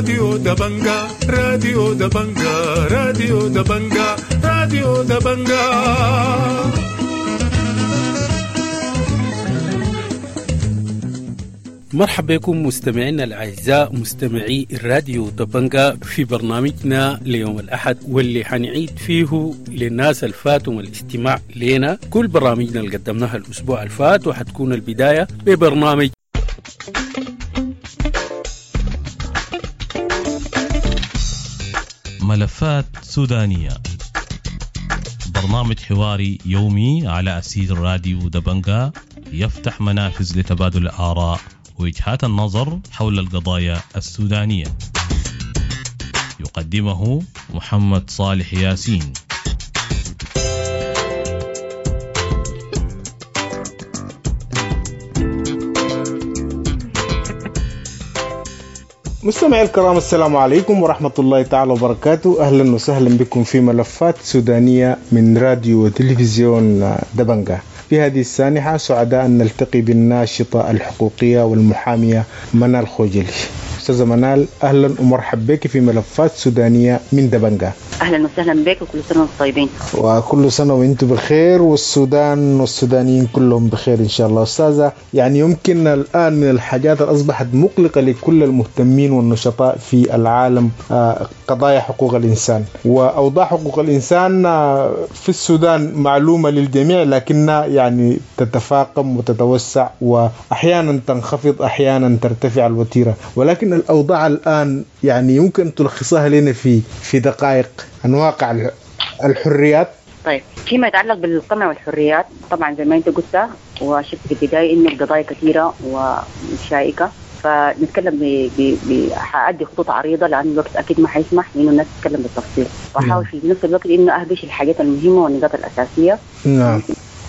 راديو دبنجا، راديو دبنجا، راديو دبنجا، راديو دبنجا. مرحبا بكم مستمعينا الأعزاء مستمعي الراديو دبنجا في برنامجنا ليوم الأحد، واللي حنعيد فيه للناس الفاتهم الاستماع لنا كل برامجنا اللي قدمناها الأسبوع الفات، وحتكون البداية ببرنامج ملفات سودانية، برنامج حواري يومي على أسير راديو دبنجا يفتح منافذ لتبادل الآراء ووجهات النظر حول القضايا السودانية. يقدمه محمد صالح ياسين. مستمعي الكرام، السلام عليكم ورحمة الله تعالى وبركاته. أهلا وسهلا بكم في ملفات سودانية من راديو وتلفزيون دبنجا. في هذه السانحة سعداء أن نلتقي بالناشطة الحقوقية والمحامية منال خوجلي. أستاذة منال، أهلا ومرحبا بك في ملفات سودانية من دبنجا. أهلا وسهلا بك، وكل سنة وانتم طيبين. وكل سنة وانتم بخير، والسودان والسودانيين كلهم بخير إن شاء الله. أستاذة، يعني يمكن الآن من الحاجات اللي أصبحت مقلقة لكل المهتمين والنشطاء في العالم قضايا حقوق الإنسان وأوضاع حقوق الإنسان في السودان معلومة للجميع، لكنها يعني تتفاقم وتتوسع وأحيانا تنخفض أحيانا ترتفع الوتيرة، ولكن الأوضاع الآن يعني يمكن تلخصها لنا في دقائق عن واقع الحريات. طيب، فيما يتعلق بالقمع والحريات، طبعا زي ما انت قلت وشفت في البداية انه القضايا كثيرة وشائكة، فنتكلم حأدي خطوط عريضة لأن الوقت أكيد ما حيسمح لأنه الناس تتكلم بالتفصيل، وأحاول في نفس الوقت إنه أهبش الحاجات المهمة والنقاط الأساسية. نعم.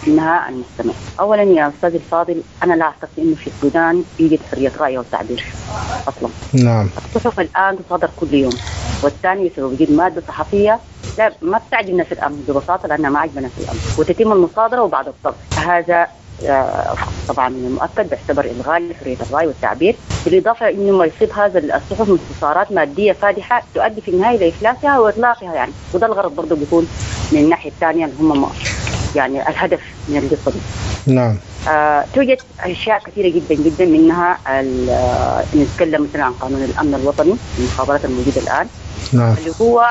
إنها المستمع. أولا يا أستاذ الفاضل، أنا لا أعتقد إنه في السودان يوجد حرية رأي والتعبير أصلا. نعم. الصحف الآن تصادر كل يوم، والثاني بسبب وجود مادة صحفية لا ما بتعجب الناس الأمن ببساطة، لأنها ما عجبنا في الأمن، وتتم المصادرة وبعد الضبط. هذا طبعا من المؤكد بيعتبر إلغاء لحرية الرأي والتعبير، بالإضافة إنه ما يصيب هذا الصحف من انتصارات مادية فادحة تؤدي في النهاية إلى إفلاسها وإغلاقها يعني، وده الغرض برضه بيكون من الناحية الثانية اللي هم يعني الهدف من القصة دي. نعم. توجد أشياء كثيرة جدا جدا، منها نتكلم مثلا عن قانون الأمن الوطني المخابرات الموجودة الآن. نعم. اللي هو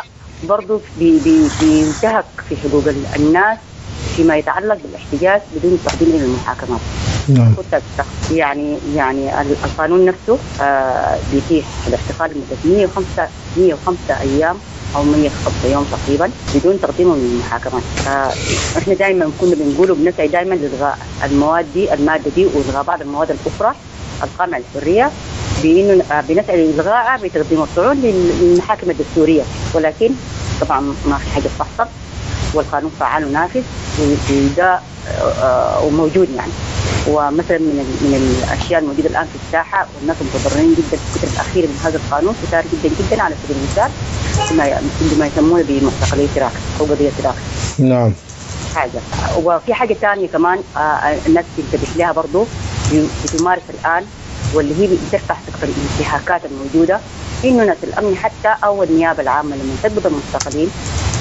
برضه بينتهك في حقوق الناس فيما يتعلق بالاحتجاز بدون التقديم إلى المحاكمات. نعم. يعني القانون نفسه بيتيح الاعتقال لمدة 105 أيام أو 105 يوم تقريبا بدون تقديمه من المحاكمات. احنا دائما كنا بنقول وبنسعي دائما لإلغاء المواد دي، المادة دي، وإلغاء بعض المواد الأخرى القامعة للحرية، بإنه بنسعي لإلغائها بتقديم الطعون للمحاكم الدستورية، ولكن طبعا ما في حاجة تحصل، والقانون فعال ونافذ وده وموجود يعني. ومثلا من الاشياء الموجودة الان في الساحة والناس متضررين جدا في الفترة الاخيرة من هذا القانون، كثار جدا جدا، على سبيل المثال ما يسمونه بمعتقلي تراك او قضية تراك. نعم. حاجة، وفي حاجة ثانية كمان الناس تنتبه لها برضه بتمارس الان، واللي هي بترفع سقف الانتهاكات الموجودة، انه ناس الامن حتى او النيابة العامة لما تقبض المعتقلين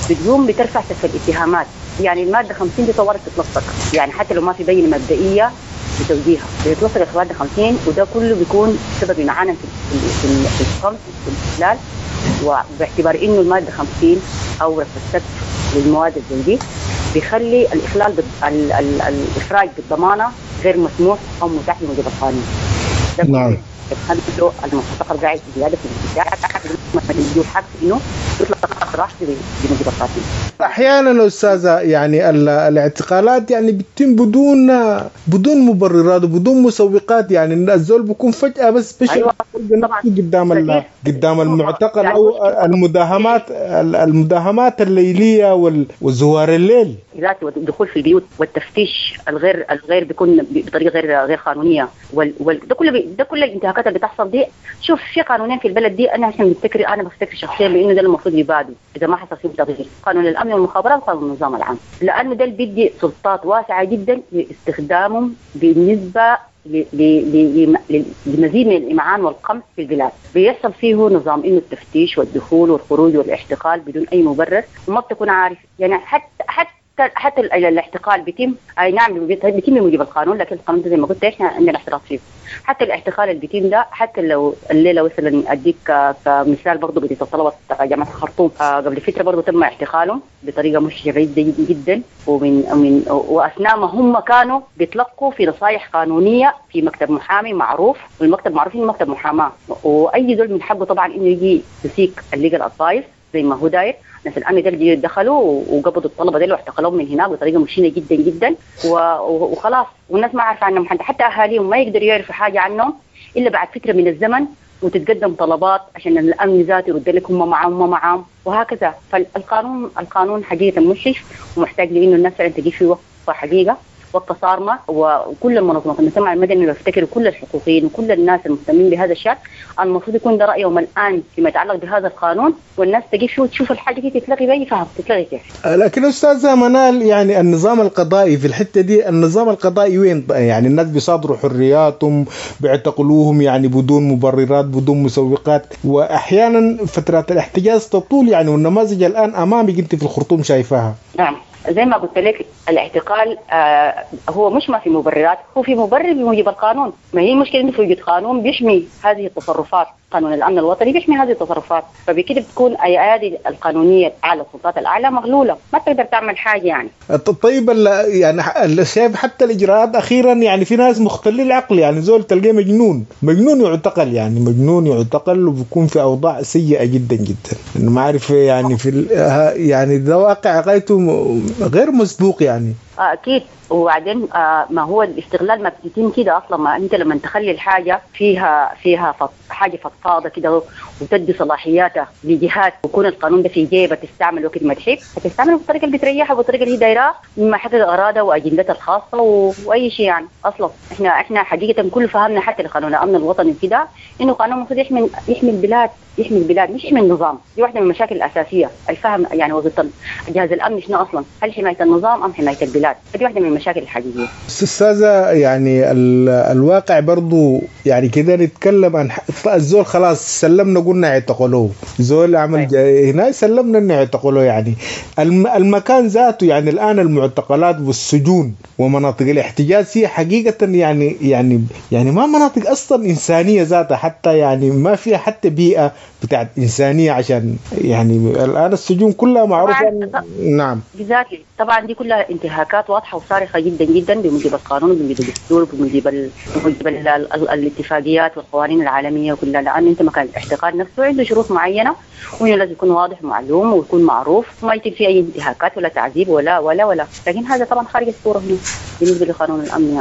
بتقوم بترفع سقف الاتهامات. يعني المادة 50 دي طوالي تتلصق، يعني حتى لو ما في بينه مبدئية بتوجيهها بتتلصق المادة 50، وده كله بيكون سبب معانا في القمع في الاستقلال، وباعتبار انه المادة 50 او رفع السقف للمواد زي دي بيخلي الاخلال الافراج بالضمانه غير مسموح او متاح بموجب القانون. نعم. بتخلي المعتقل قاعد زيادة في الابتداع حق انه يطلق سراح بموجب القانون. احيانا استاذه يعني الاعتقالات يعني بتتم بدون مبررات وبدون مسوقات، يعني الزول بيكون فجاة بس بشر. أيوة. قدام قدام المعتقل او المداهمات الليلية وزوار الليل، ذات والدخول في البيوت والتفتيش الغير بيكون بطريقة غير قانونية، ده كل الانتهاكات اللي بتحصل دي. شوف، في قانونين في البلد دي انا عشان بفتكر، انا بفتكر شخصيا بانه ده المفروض يبادوا اذا ما حصل فيه تغيير، قانون الامن والمخابرات وقانون النظام العام، لانه ده اللي بيدي سلطات واسعة جدا لاستخدامهم بالنسبة لمزيد من الإمعان والقمع في البلاد. بيحصل فيه نظام إنه التفتيش والدخول والخروج والاعتقال بدون أي مبرر، وما بتكون عارف يعني حتى الاعتقال بيتم، اي نعم بيتم بموجب القانون، لكن القانون ده زي ما قلت احنا عندنا احتراز فيه. حتى الاعتقال اللي بيتم ده، حتى لو الليلة مثلا اديك كمثال برضه قضية الطلبة جامعه الخرطوم قبل فترة برضه تم اعتقالهم بطريقة مش جيدة جدا، ومن من واثناء ما هم كانوا بيتلقوا في نصائح قانونية في مكتب محامي معروف، والمكتب معروف انه مكتب محاماة، واي زول من حقه طبعا انه يجي ي seek ال legal advice زي ما هو داير. ناس الامن ده دخلوا وقبضوا الطلبة ديل واعتقلوهم من هناك بطريقة مشينة جدا جدا، وخلاص، والناس ما عارفه عنهم، حتى اهاليهم ما يقدروا يعرفوا حاجة عنهم الا بعد فترة من الزمن، وتتقدم طلبات عشان الامن ذاته يرد لك هم معاهم ما معاهم وهكذا. فالقانون القانون حقيقة مشرف ومحتاج لانه الناس فعلا تجي فيه وقفه حقيقة، وقفه صارمة، وكل المنظمات المجتمع المدني بفتكر وكل الحقوقيين وكل الناس المهتمين بهذا الشأن المفروض يكون ده رايهم الان فيما يتعلق بهذا القانون، والناس تجي فيه وتشوف الحاجة دي تتلغي باي فهم تتلغي كيف. لكن استاذه منال، يعني النظام القضائي في الحتة دي، النظام القضائي وين؟ يعني الناس بيصادروا حرياتهم، بيعتقلوهم يعني بدون مبررات بدون مسوقات، واحيانا فترات الاحتجاز تطول يعني، والنماذج الان امامك انت في الخرطوم شايفاها. نعم، زي ما قلت لك الاعتقال هو مش ما في مبررات، هو في مبرر بموجب القانون. ما هي المشكلة انه في وجود قانون بيحمي هذه التصرفات، قانون الامن الوطني بيحمي هذه التصرفات، فبكده بتكون ايادي القانونية على السلطات الاعلى مغلولة، ما تقدر تعمل حاجة يعني. طيب يعني شايف حتى الاجراءات اخيرا، يعني في ناس مختلين العقل، يعني زول تلقاه مجنون، مجنون يعتقل، يعني مجنون يعتقل وبيكون في اوضاع سيئه جدا جدا، انه ما عارف يعني في يعني ده واقع غايته غير مسبوق يعني. اكيد. وبعدين ما هو الاستغلال ما بيتم كده اصلا، ما انت لما تخلي الحاجة فيها حاجة فضفاضة كده وتدي صلاحياتها لجهات، ويكون القانون ده في جيبه تستعمل وقت ما تحب، هتستعمله بالطريقة اللي بتريحها وبالطريقه اللي هي دايراه، مما حقق اغراضها واجندتها الخاصة واي شيء يعني. اصلا احنا حقيقة كل فهمنا حتى لقانون الامن الوطني كده انه قانون المفروض يحمي البلاد، يحمي البلاد مش يحمي النظام. دي واحدة من المشاكل الاساسية، الفهم يعني وظيفة جهاز الامن شنو اصلا، هل حماية النظام ام حماية البلاد؟ دي واحدة من المشاكل الحقيقية. استاذه يعني الواقع برضو يعني كده نتكلم عن الزول خلاص سلمنا قلنا اعتقلوه، زول عمل هنا سلمنا انه اعتقلوه، يعني المكان ذاته يعني الان المعتقلات والسجون ومناطق الاحتجاز هي حقيقة يعني يعني يعني ما مناطق اصلا انسانيه ذاتها، حتى يعني ما فيها حتى بيئة بتاعت انسانيه، عشان يعني الان السجون كلها معروفة. نعم بالذات طبعا دي كلها انتهاكات واضحة وصارخه جدا جدا بموجب القانون وبموجب الدستور وبموجب الاتفاقيات والقوانين العالمية كلها، لان انت مكان الاعتقال نفسه عنده شروط معينة، وانه لازم يكون واضح ومعلوم ويكون معروف وما يتم فيه اي انتهاكات ولا تعذيب ولا ولا ولا، لكن هذا طبعا خارج الصورة هنا بالنسبة لقانون الامن.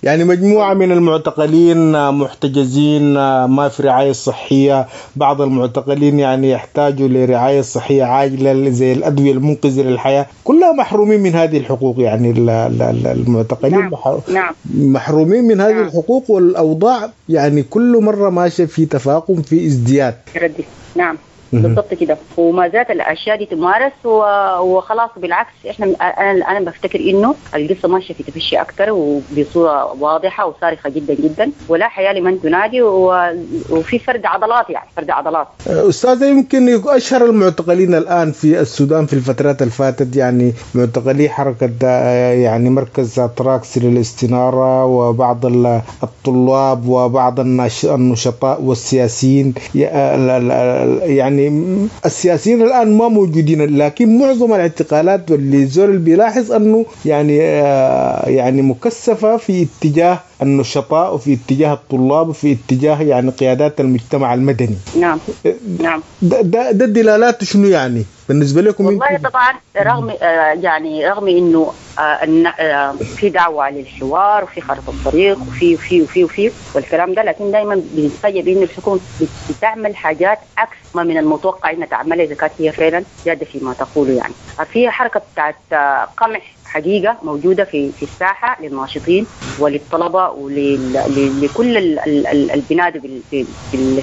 يعني مجموعة من المعتقلين محتجزين ما في رعاية صحية، بعض المعتقلين يعني يحتاجوا لرعاية صحية عاجلة زي الأدوية المنقذة للحياة، كلها محرومين من هذه الحقوق. يعني المعتقلين نعم. محرومين من هذه نعم. الحقوق، والأوضاع يعني كل مرة ماشية في تفاقم في ازدياد. نعم بالضبط كده، وما زالت الاشياء دي تمارس وخلاص. بالعكس احنا انا بفتكر انه القصة ماشية في تفشي اكثر وبصورة واضحة وصارخه جدا جدا، ولا حياة لمن تنادي، وفي فرد عضلات، يعني فرد عضلات. استاذه، يمكن اشهر المعتقلين الان في السودان في الفترات الفاتت يعني معتقلي حركة يعني مركز تراكس للاستناره، وبعض الطلاب وبعض النشطاء والسياسيين. يعني السياسيين الآن ما موجودين، لكن معظم الاعتقالات واللي زول بيلاحظ أنه يعني مكثفة في اتجاه النشطاء وفي اتجاه الطلاب وفي اتجاه يعني قيادات المجتمع المدني. نعم نعم. ده الدلالات شنو يعني بالنسبة لكم؟ والله طبعا رغم يعني رغم انه في دعوة للحوار وفي خارطة الطريق وفي وفي وفي وفي والكلام ده، لكن دائما بنتفاجئ بان الحكومة بتعمل حاجات عكس ما من المتوقع انها تعملها اذا كانت هي فعلا جادة فيما تقوله. يعني في حركة بتاعت قمع حقيقة موجودة في الساحة للناشطين وللطلبة ولكل البنادي بال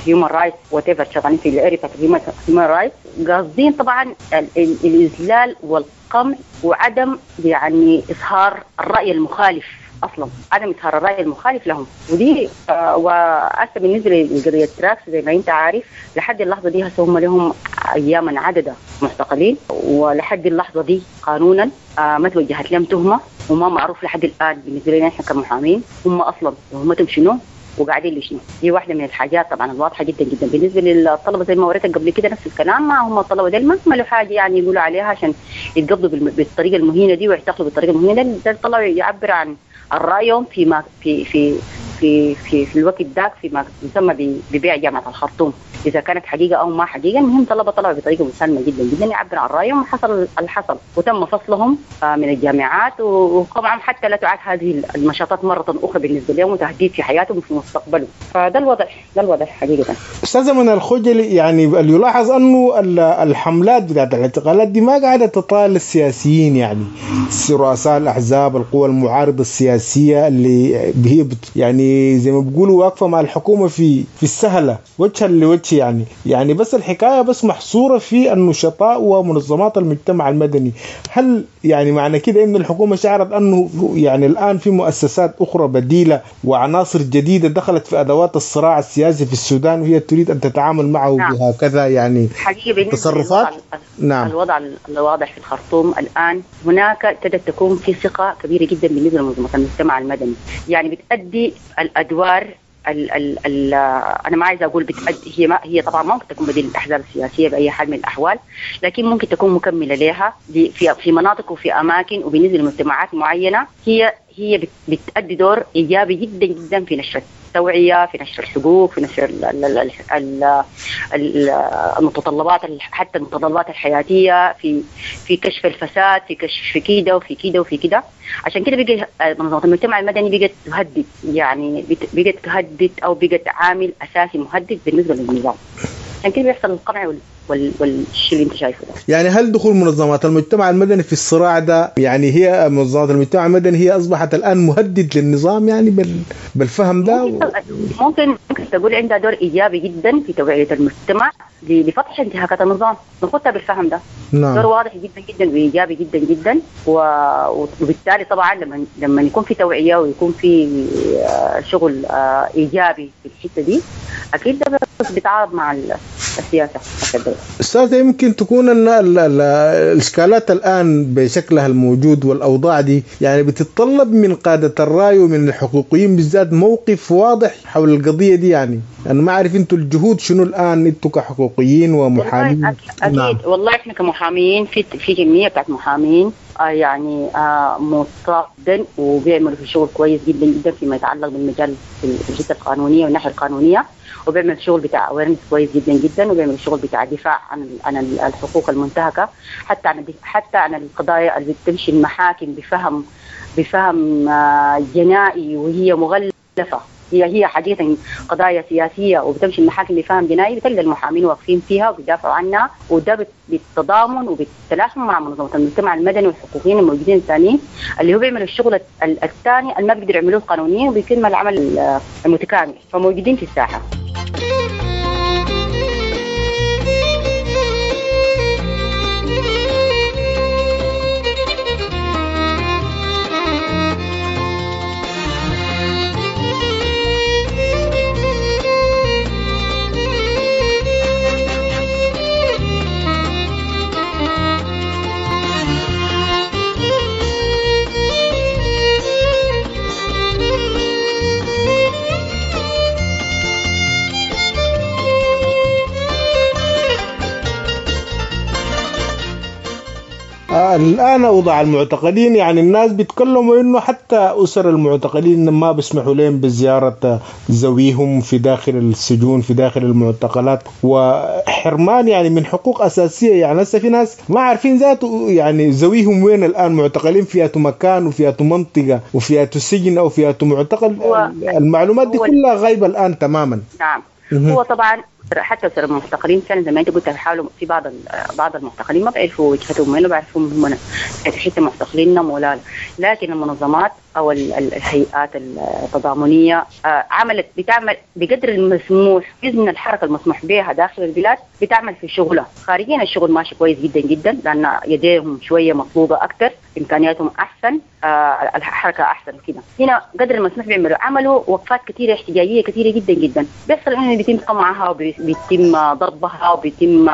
human rights whatever شغالين في ال area بتاعت ال human rights، قاصدين طبعا الإذلال والقمع وعدم يعني إظهار الرأي المخالف اصلا، عدم اظهار الراي المخالف لهم. ودي وهسه بالنسبة لقضيه تراكس زي ما انت عارف لحد اللحظة دي هسه هم لهم اياما عددا معتقلين، ولحد اللحظة دي قانونا ما توجهت لهم تهمه، وما معروف لحد الان بالنسبة لنا احنا كمحامين هم اصلا تهمتهم شنو وقاعدين لشنو. دي واحدة من الحاجات طبعا الواضحة جدا جدا. بالنسبة للطلبة زي ما وريتك قبل كده نفس الكلام، ما هم الطلبة ديل ما عملوا حاجة يعني يقولوا عليها عشان يتقبضوا بالطريقة المهينه دي ويعتقلوا بالطريقة المهينه دي. ده طلعوا يعبر عن رايهم فيما في في في في في الوقت ذاك فيما يسمى ببيع جامعه الخرطوم، اذا كانت حقيقة او ما حقيقة. المهم طلبه طلعوا بطريقة مسالمه جدا جدا يعبر عن رايهم، وحصل الحصل وتم فصلهم من الجامعات، وطبعا حتى لا تعاد هذه النشاطات مرة اخرى بالنسبة لهم وتهديد في حياتهم وفي مستقبلهم. فده الوضع، ده الوضع حقيقة. استاذه منى الخجلي، يعني اللي يلاحظ انه الحملات بتاعت الاعتقالات دي ما قاعدة تطال السياسيين، يعني رؤساء الاحزاب، القوى المعارضة السياسية اللي هي يعني زي ما بيقولوا واقفة مع الحكومة في السهلة وجها لوجه، يعني بس الحكاية بس محصورة في النشطاء ومنظمات المجتمع المدني. هل يعني معنى كده ان الحكومة شعرت انه يعني الان في مؤسسات اخرى بديله وعناصر جديدة دخلت في ادوات الصراع السياسي في السودان وهي تريد ان تتعامل معه؟ نعم. بهكذا يعني حقيقة تصرفات. نعم. الوضع الواضح في الخرطوم الان هناك ابتدت تكون في ثقة كبيرة جدا بالنسبة لمنظمات المجتمع المدني، يعني بتأدي الادوار ال ال ال انا ما عايزه اقول بتأدي، هي طبعا ممكن تكون بديل الاحزاب السياسية باي حال من الاحوال، لكن ممكن تكون مكملة لها في مناطق وفي اماكن وبالنسبة لمجتمعات معينة. هي بتأدي دور ايجابي جدا جدا في نشر التوعية، في نشر الحقوق، في نشر المتطلبات، حتى المتطلبات الحياتية، في كشف الفساد، في كشف كده وفي كده وفي كده. عشان كده بقى منظمات المجتمع المدني بقت تهدد، يعني بقت تهدد او بقت عامل اساسي مهدد بالنسبة للنظام. عشان كده بيحصل القمع والشيء اللي انت شايفه ده. يعني هل دخول منظمات المجتمع المدني في الصراع ده، يعني هي منظمات المجتمع المدني هي اصبحت الان مهدد للنظام يعني بالفهم ده؟ ممكن تقول عندها دور ايجابي جدا في توعيه المجتمع لفتح انتهاكات النظام، ناخدها بالفهم ده. نعم. دور واضح جدا جدا وايجابي جدا جدا، وبالتالي طبعا لما يكون في توعيه ويكون في شغل ايجابي في الحتة دي اكيد ده بيتعارض مع السياسة. استاذ، يمكن تكون ان الاشكالات الان بشكلها الموجود والاوضاع دي يعني بتتطلب من قاده الراي ومن الحقوقيين بالذات موقف واضح حول القضية دي. يعني انا ما اعرف انتم الجهود شنو الان انتم كحقوقيين ومحامين؟ اكيد. نعم. والله احنا كمحامين في كمية بتاعت محامين يعني متعاقدين وبيعملوا في شغل كويس جدا جدا فيما يتعلق بالمجال في الحتة القانونية والناحية القانونية، وبيعمل شغل بتاع awareness كويس جدا جدا، وبيعمل شغل بتاع دفاع عن الحقوق المنتهكه، حتى عن القضايا اللي بتمشي المحاكم بفهم جنائي وهي مغلفه، هي حقيقة قضايا سياسية وبتمشي المحاكم بفهم جنائي، بتلقى المحامين واقفين فيها وبيدافعوا عنها، وده بالتضامن وبالتلاحم مع منظمة المجتمع المدني والحقوقيين الموجودين الثانيين اللي هو بيعملوا الشغل الثاني اللي ما بيقدروا يعملوه القانونيين، وبيتم العمل المتكامل، فموجودين في الساحة. الآن أوضاع المعتقلين، يعني الناس بيتكلموا إنه حتى أسر المعتقلين ما بيسمحوا لهم بزيارة ذويهم في داخل السجون في داخل المعتقلات، وحرمان يعني من حقوق أساسية. يعني هسه في ناس ما عارفين ذاته يعني ذويهم وين الآن، معتقلين في مكان وفي منطقة وفي سجن أو في معتقل، المعلومات دي كلها غايبة الآن تماما. نعم. هو طبعا حتى أسر المعتقلين فعلا زي ما انت قلت بيحاولوا في بعض المعتقلين ما بيعرفوا وجهتهم وين، بيعرفوا هم في حتة معتقلين ولا لا، لكن المنظمات او الهيئات التضامنيه عملت، بتعمل بقدر المسموح باذن الحركة المسموح بها داخل البلاد، بتعمل في شغلها. خارجيا الشغل ماشي كويس جدا جدا، لان يديهم شوية مطلوبه اكثر، امكانياتهم احسن، الحركة احسن كده. هنا قدر المسموح بيعملوا، عملوا وقفات كثيرة احتجاجية كثيرة جدا جدا، بيحصل انه بيتم قمعها وبيتم ضربها وبيتم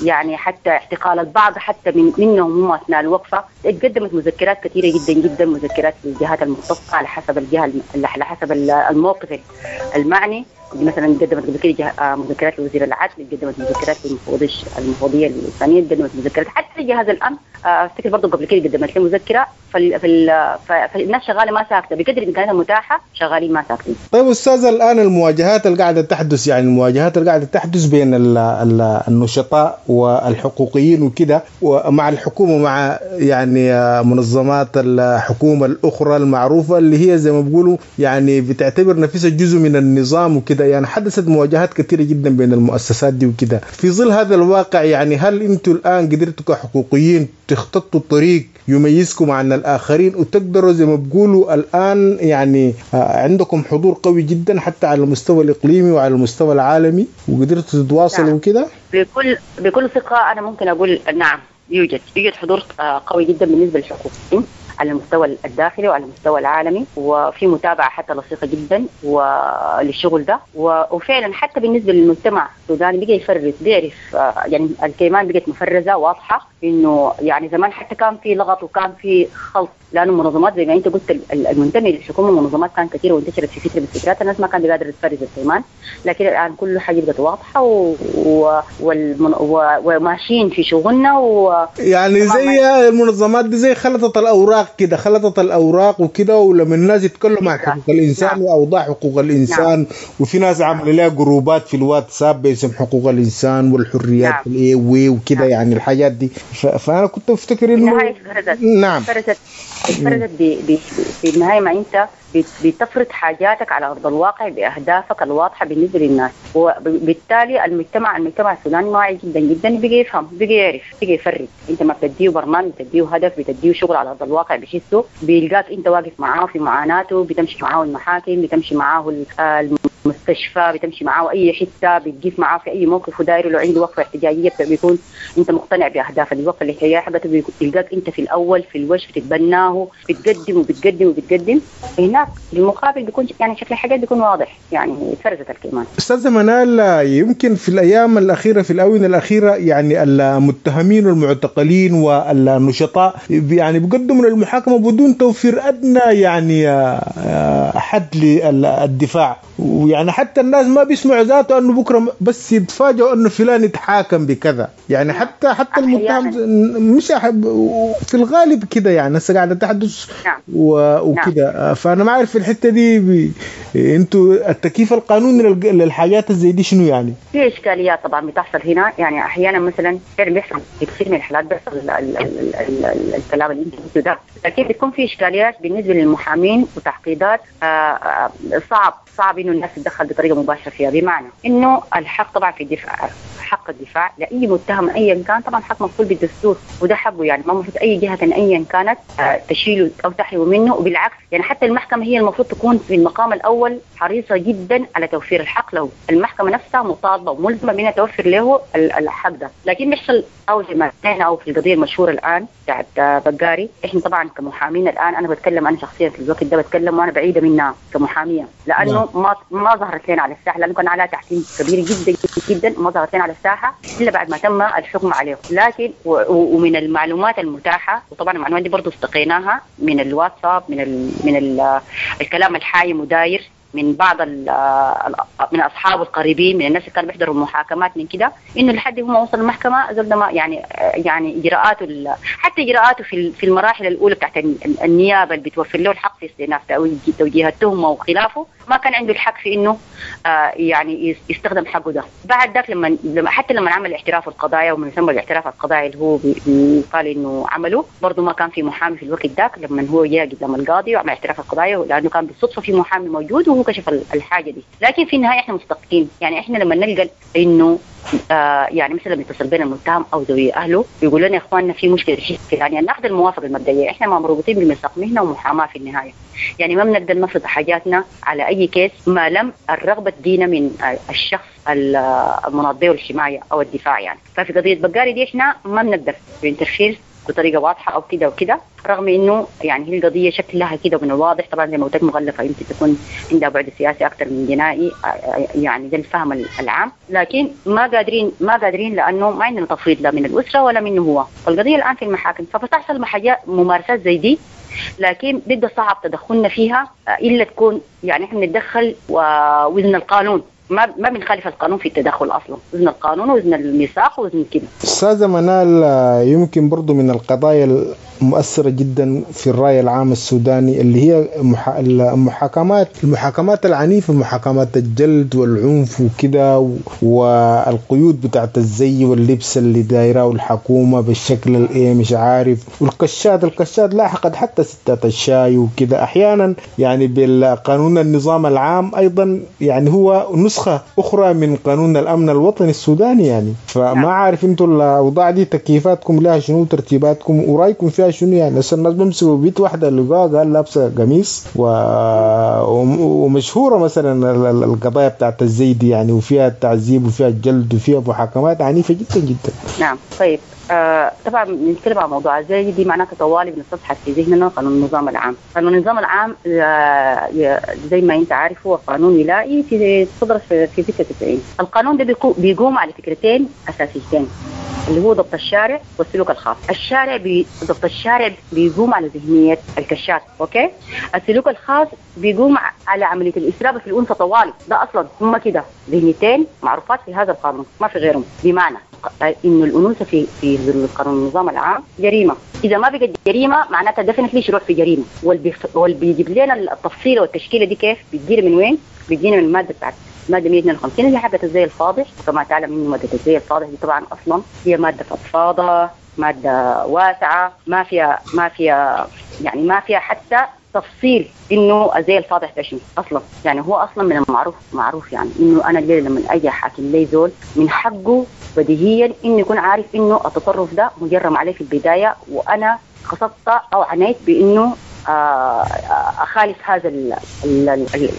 يعني حتى اعتقال البعض حتى منهم هم اثناء الوقفة. اتقدمت مذكرات كثيرة جدا جدا، مذكرات للجهات المختصة على حسب الجهة، على حسب الموقف المعني. مثلا قدمت قبل كده مذكرات لوزير العدل، قدمت مذكرات للمفوضيه الانسانية، قدمت مذكرات حتى لجهاز الامن. افتكر برضه قبل كده قدمت له مذكره. فالناس شغالة ما ساكته، بقدر الامكانيات المتاحة شغالين ما ساكتين. طيب استاذ، الان المواجهات اللي قاعدة تحدث، يعني المواجهات اللي قاعدة تحدث بين النشطاء والحقوقيين وكده، ومع الحكومة، مع يعني منظمات الحكومة الاخرى المعروفة اللي هي زي ما بيقولوا يعني بتعتبر نفسها جزء من النظام وكده، يعني حدثت مواجهات كثيرة جدا بين المؤسسات دي وكده. في ظل هذا الواقع يعني هل انتم الان قدرتوا كحقوقيين تخططوا طريق يميزكم عن الآخرين، وتقدروا زي ما بيقولوا الآن يعني عندكم حضور قوي جدا حتى على المستوى الإقليمي وعلى المستوى العالمي، وقدرتوا تتواصلوا وكده؟ بكل ثقة أنا ممكن أقول نعم، يوجد حضور قوي جدا بالنسبة للحقوقيين على المستوى الداخلي وعلى المستوى العالمي، وفي متابعة حتى لصيقة جدا وللشغل ده. وفعلا حتى بالنسبة للمجتمع السوداني بقى يفرز، بيعرف يعني الكيمان بقت مفرزة واضحة، إنه يعني زمان حتى كان في لغط وكان في خلط، لأنه المنظمات زي ما أنت قلت المنتمي للحكومة منظمات كان كثيرة وانتشرت في فترة من الفترات، الناس ما كان بيقدر تفرز الكيمان، لكن الآن كل حاجة بقت واضحة وماشيين في شغلنا. يعني زي المنظمات دي زي خلطت الأوراق كده، خلطت الأوراق وكده، ولما الناس يتكلموا عن حقوق الإنسان وأوضاع حقوق الإنسان، وفي ناس عامله لها جروبات في الواتساب باسم حقوق الإنسان والحريات الاي وكده، يعني الحاجات دي. فأنا كنت أفتكر إنه نعم فرزت في النهاية ما أنت بتفرض حاجاتك على أرض الواقع بأهدافك الواضحة بالنسبة للناس، وبالتالي المجتمع السوداني واعي جدا جدا، بقى يفهم، بقى يعرف، بقى يفرق. أنت ما بتديه برنامج، بتديه هدف، بتديه شغل على أرض الواقع بحسه، بيلقاك أنت واقف معاه في معاناته، بتمشي معاه المحاكم، بتمشي معاه المستشفى، بتمشي معاه أي حتة، بتقف معاه في أي موقف ودايره. لو عنده وقفة احتجاجية بيكون أنت مقتنع بأهداف الوقفة الاحتجاجية حقته، بيلقاك أنت في الأول في الوش، بتتبناه، بتقدم وبتقدم وبتقدم. هناك المقابل بيكون يعني شكل الحاجات بيكون واضح، يعني فرزت الكلمات. أستاذة منال، يمكن في الأيام الأخيرة، في الآونة الأخيرة، يعني المتهمين والمعتقلين والنشطاء يعني بيقدموا للمحاكمة بدون توفير أدنى يعني حد للدفاع، ويعني حتى الناس ما بيسمعوا ذاته أنه بكرة بس يتفاجئوا أنه فلان يتحاكم بكذا، يعني حتى المتهم مش في الغالب كده، يعني هسه قاعدة تحدث وكده. فأنا ما أعرف في الحتة دي أنتوا التكييف القانوني للحاجات زي دي شنو يعني؟ في إشكاليات طبعا بتحصل هنا، يعني أحيانا مثلا بيحصل في كثير من الحالات بيحصل الكلام اللي أنت قلته ده، لكن بتكون في إشكاليات بالنسبة للمحامين وتعقيدات صعب إنه الناس تتدخل بطريقة مباشرة فيها، بمعنى إنه الحق طبعا في الدفاع، حق الدفاع لأي متهم أيا كان طبعا حق مكفول بالدستور، وده حقه، يعني ما المفروض أي جهة أيا كانت تشيله أو تحرمه منه. وبالعكس يعني حتى المحكمة هي المفروض تكون في المقام الأول حريصة جدا على توفير الحق له، المحكمة نفسها مطالبة وملزمة بأنها توفر له الحق ده. لكن بيحصل أو زي ما أو في القضية المشهورة الآن بتاعت بقاري، إحنا طبعا كمحامين الآن، أنا بتكلم أنا شخصيا في الوقت ده بتكلم وأنا بعيدة منها كمحامية، لأنه ما ظهرت لنا على الساحة، لأنه كان عليها تحكيم كبير جدا جدا، ما ظهرت لنا على الساحة إلا بعد ما تم الحكم عليه. لكن ومن المعلومات المتاحة، وطبعا المعلومات دي برضو استقيناها من الواتساب، من الكلام الحايم وداير من بعض من اصحابه القريبين، من الناس اللي كانوا بيحضروا المحاكمات من كده، انه لحد ما وصل المحكمة زول ما يعني اجراءاته، حتى اجراءاته في المراحل الاولى بتاعت النيابة اللي بتوفر له الحق في استئناف توجيه التهمة وخلافه، ما كان عنده الحق في انه يعني يستخدم حقه ده. بعد ذاك لما حتى لما عمل اعتراف القضايا وما يسمى الاعتراف القضائي اللي هو قال انه عمله، برضه ما كان في محامي في الوقت ذاك لما هو جاء قدام القاضي وعمل اعتراف القضايا، لانه كان بالصدفة في محامي موجود وهو كشف الحاجة دي. لكن في النهاية احنا مستقيم، يعني احنا لما نلقى انه يعني مثلا بيتصل بينا المتهم او ذوي اهله بيقول لنا يا اخواننا في مشكلة يعني ناخذ الموافقة المبدئية. احنا ما مربوطين بميثاق مهنة ومحاماه في النهاية، يعني ما بنقدر نفرض حاجاتنا على اي case ما لم الرغبة تجينا من الشخص المناط به الحماية او الدفاع يعني. ففي قضية بقاري دي احنا ما بنقدر interfere بطريقة واضحة او كده وكده، رغم انه يعني هي القضية شكلها كده من الواضح طبعا زي ما قلت لك مغلفه، يمكن تكون عندها بعد سياسي اكثر من جنائي، يعني ده الفهم العام، لكن ما قادرين لانه ما عندنا تفويض لا من الاسرة ولا منه هو. فالقضية الان في المحاكم، فبتحصل ممارسات زي دي، لكن بيبقى صعب تدخلنا فيها الا تكون يعني احنا بنتدخل ووزن القانون، ما بنخالف القانون في التدخل اصلا، وزن القانون وزن الميثاق وزن كده. استاذه منال، يمكن برضو من القضايا المؤثرة جدا في الرأي العام السوداني اللي هي المحاكمات العنيفة، محاكمات الجلد والعنف وكده، والقيود بتاعت الزي واللبس اللي دايراه الحكومة بالشكل الايه مش عارف، والكشات لاحقت حتى ستات الشاي وكده احيانا، يعني بالقانون النظام العام ايضا، يعني هو نسخة اخرى من قانون الامن الوطني السوداني يعني. فما عارف انتوا الاوضاع دي تكييفاتكم لها شنو، ترتيباتكم ورايكم فيها شنو يعني؟ هسه الناس بيمسكوا بيت واحدة اللي قال لابسه قميص ومشهوره مثلا القضايا بتاعت الزيد يعني، وفيها التعذيب وفيها الجلد وفيها محاكمات عنيفة جدا جدا. نعم طيب، طبعا بنتكلم عن موضوع الزي دي معناته طوالي بنستصحب في ذهننا قانون النظام العام. قانون النظام العام زي ما انت عارف هو قانون ولائي في صدر في 96. القانون ده بيقوم على فكرتين اساسيتين، اللي هو ضبط الشارع والسلوك الخاص. الشارع ضبط الشارع بيقوم على ذهنية الكشاف، okay؟ السلوك الخاص بيقوم على عملية الإسراب في الأنثى طوالي، ده أصلا هم كده ذهنيتين معروفات في هذا القانون ما في غيرهم. بمعنى إنه الأنوثة في ظل قانون النظام العام جريمة، إذا ما بقت جريمة معناتها definitely شروع في جريمة. واللي بيجيب لنا التفصيلة والتشكيلة دي كيف بتجينا من وين؟ بتجينا من المادة بتاعت مادة 152 اللي حقت الزي الفاضح. وكما تعلم إنه مادة الزي الفاضح دي طبعا أصلا هي مادة فضفاضة، مادة واسعة، ما فيها يعني ما فيها حتى تفصيل إنه الزي الفاضح ده شنو أصلا. يعني هو أصلا من المعروف معروف يعني إنه أنا الليلة لما أجي حاكم لي زول من حقه بديهيا إنه يكون عارف إنه التصرف ده مجرم عليه في البداية، وأنا قصدت أو عنيت بإنه اخالف هذا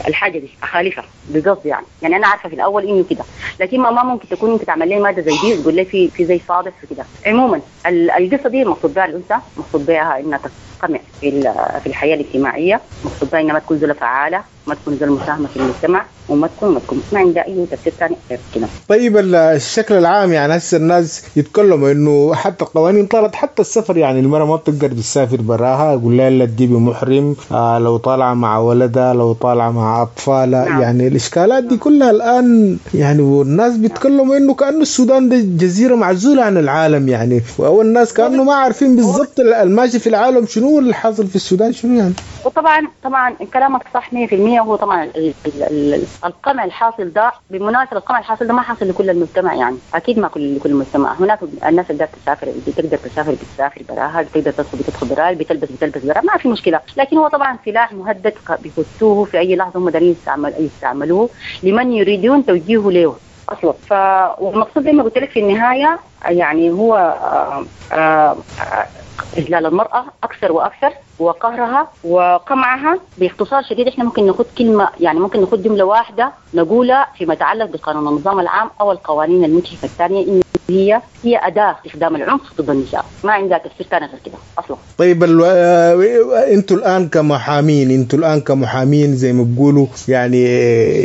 الحاجة دي، اخالفها بقصد يعني انا عارفه في الاول انه كده، لكن ما ممكن تكون انت تعمل لي مادة زي دي وتقول لي في زي صادف وكده. عموما القصة دي المقصود بها الانثى، مقصود بها انها تقمع في الحياة الاجتماعية، مقصود بها انها ما تكون زوله فعاله، ما تكون زوله مساهمة في المجتمع، وما تكون ما عندها اي تفسير ثاني غير كده. طيب الشكل العام يعني هسه الناس يتكلموا انه حتى القوانين طلعت حتى السفر، يعني المرأة ما بتقدر تسافر براها، يقول لها لا تجيبي محرم، لو طالعه مع ولدها، لو طالعه مع اطفالها. نعم. يعني الاشكالات دي كلها الان يعني، والناس بيتكلموا انه كانه السودان ده جزيرة معزولة عن العالم يعني، والناس كانه ما عارفين بالضبط الماشي في العالم شنو واللي حاصل في السودان شنو يعني. وطبعا كلامك صح 100%. هو طبعا القمع الحاصل ده، بالمناسبة القمع الحاصل ده ما حاصل لكل المجتمع يعني، اكيد ما لكل المجتمع. هناك الناس اللي تسافر، اللي تقدر تسافر بتسافر براها، اللي تقدر تدخل بتدخل براها، اللي بتلبس بتلبس براها، ما في مشكلة. لكن هو طبعا سلاح مهدد بيخشوه في اي لحظة، هم دارين يستعملوه لمن يريدون توجيهه له اصلا. والمقصود زي ما قلت لك في النهاية يعني هو إذلال المرأة أكثر وأكثر، وقهرها وقمعها. باختصار شديد احنا ممكن ناخد كلمة، يعني ممكن ناخد جملة واحدة نقولها فيما يتعلق بقانون النظام العام أو القوانين المجحفة الثانية، إن هي أداة استخدام العنف ضد النساء، ما عندها تفسير ثاني غير كده أصلا. طيب انتوا الآن كمحامين زي ما بيقولوا يعني،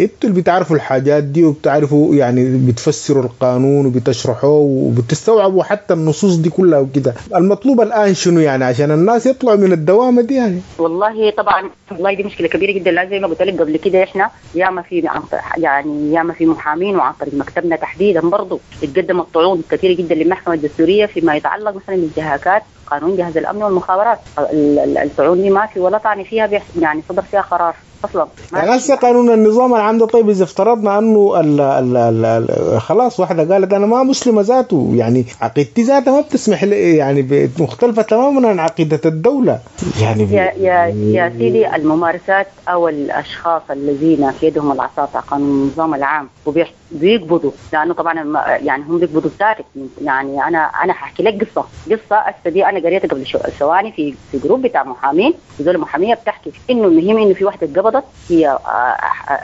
انتوا اللي بتعرفوا الحاجات دي وبتعرفوا يعني بتفسروا القانون وبتشرحوه وبتستوعبوا حتى النصوص دي كلها وكده، المطلوب الآن شنو يعني عشان الناس يطلعوا من الدوامة دي يعني؟ والله طبعا والله دي مشكلة كبيرة جدا. لا زي ما قلت لك قبل كده احنا ياما في يعني ياما في محامين، وعن طريق مكتبنا تحديدا برضه اتقدمت طعون كثيرة جدا للمحكمة الدستورية فيما يتعلق مثلا بانتهاكات قانون جهاز الأمن والمخابرات. الطعون دي ما في ولا طعن فيها، يعني صدر فيها قرار اصلا. يعني هسه قانون النظام العام ده، طيب اذا افترضنا انه ال ال ال خلاص واحدة قالت انا ما مسلمة ذاته، يعني عقيدتي ذاتها ما بتسمح لي، يعني مختلفة تماما عن عقيدة الدولة، يعني يا سيدي، الممارسات او الاشخاص الذين في يدهم العصا تاع قانون النظام العام وبيقبضوا، لانه طبعا يعني هم بيقبضوا ساكت. يعني انا حاحكي لك قصة هسه دي انا قريتها قبل ثواني في group بتاع محامين، زول محاميه بتحكي انه المهم انه في واحدة اتقبضت، هي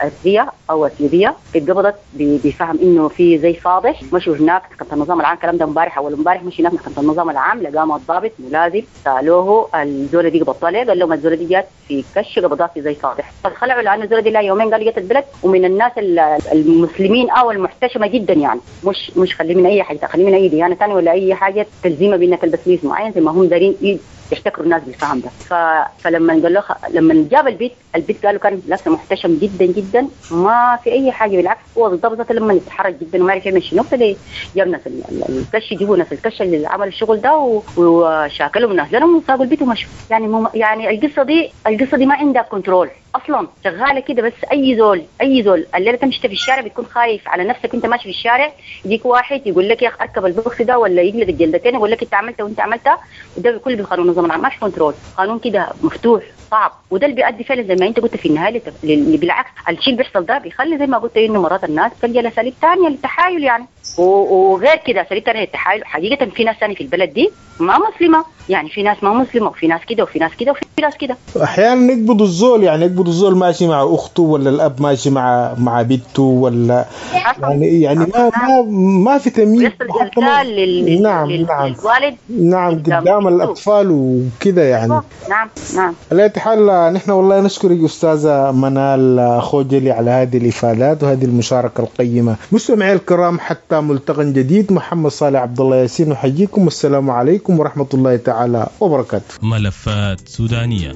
ارضية او اثيوبيه، اتقبضت بفهم انه في زي فاضح، مشوا هناك محكمة النظام العام، الكلام ده امبارح اول امبارح، مشوا هناك محكمة النظام العام، لقاهم الضابط ملازم، سالوه الزوله دي قبضتها ليه؟ قال لهم الزوله دي جات في كش قبضها في زي فاضح، فخلعوا لانه الزوله دي لها يومين قالوا جت البلد، ومن الناس المسلمين او المحتشمه جدا، يعني مش خليه من اي حاجة، خليه من اي ديانة ثانية ولا اي حاجة تلزيمه بانها تلبس لبس معين زي ما هم دارين يحتكروا الناس بالفهم ده. فلما قال له لما جاب البيت قالوا كان لابسه محتشم جدا جدا، ما في اي حاجة، بالعكس هو بالضبط لما اتحرج جدا وما عرف يعمل شنو، ابتدى جاب ناس الكش، جيبوا ناس الكش اللي عمل الشغل ده وشاكلوا من اهلهم وساقوا البيت ومشوا. يعني يعني القصة دي ما عندها control اصلا، شغالة كده بس. اي زول الليلة تمشي في الشارع بتكون خايف على نفسك، انت ماشي في الشارع يجيك واحد يقول لك يا اخي اركب البوكس ده، ولا يجلد الجلدتين يقول لك انت عملت وانت عملتها، وده كله بالقانون النظام العام، ما في control، قانون كده مفتوح صعب، وده اللي بيؤدي فعلا زي ما انت قلت في النهاية بالعكس الشيء اللي بيحصل ده بيخلي زي ما قلت انه مرات الناس تلجا لاساليب ثانية للتحايل يعني، وغير كده اساليب ثانية للتحايل. حقيقة في ناس ثانية في البلد دي ما مسلمة، يعني في ناس ما مسلمة وفي ناس كده وفي ناس كده وفي ناس كده. احيانا يقبضوا الزول، يعني يقبضوا الزول ماشي مع اخته ولا الاب ماشي مع بنته ولا يعني ما في تمييز. نعم نعم نعم قدام الاطفال وكده يعني. نعم نعم. على أي حال نحن والله نشكرك استاذه منال خوجلي على هذه الافادات وهذه المشاركة القيمة. مستمعي الكرام، حتى ملتقى جديد، محمد صالح عبد الله ياسين نحييكم، والسلام عليكم ورحمة الله تعالى وبركاته. ملفات سودانيه.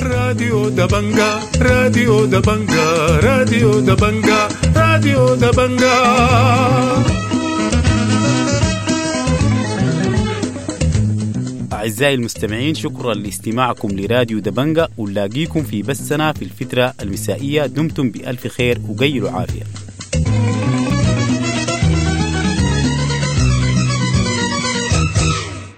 راديو دبنجا، راديو دبنجا، راديو دبنجا، راديو دبنجا. أعزائي المستمعين، شكرا لاستماعكم لراديو دبنجا، ونلاقيكم في بثنا في الفترة المسائية. دمتم بألف خير وقيلوا عافية.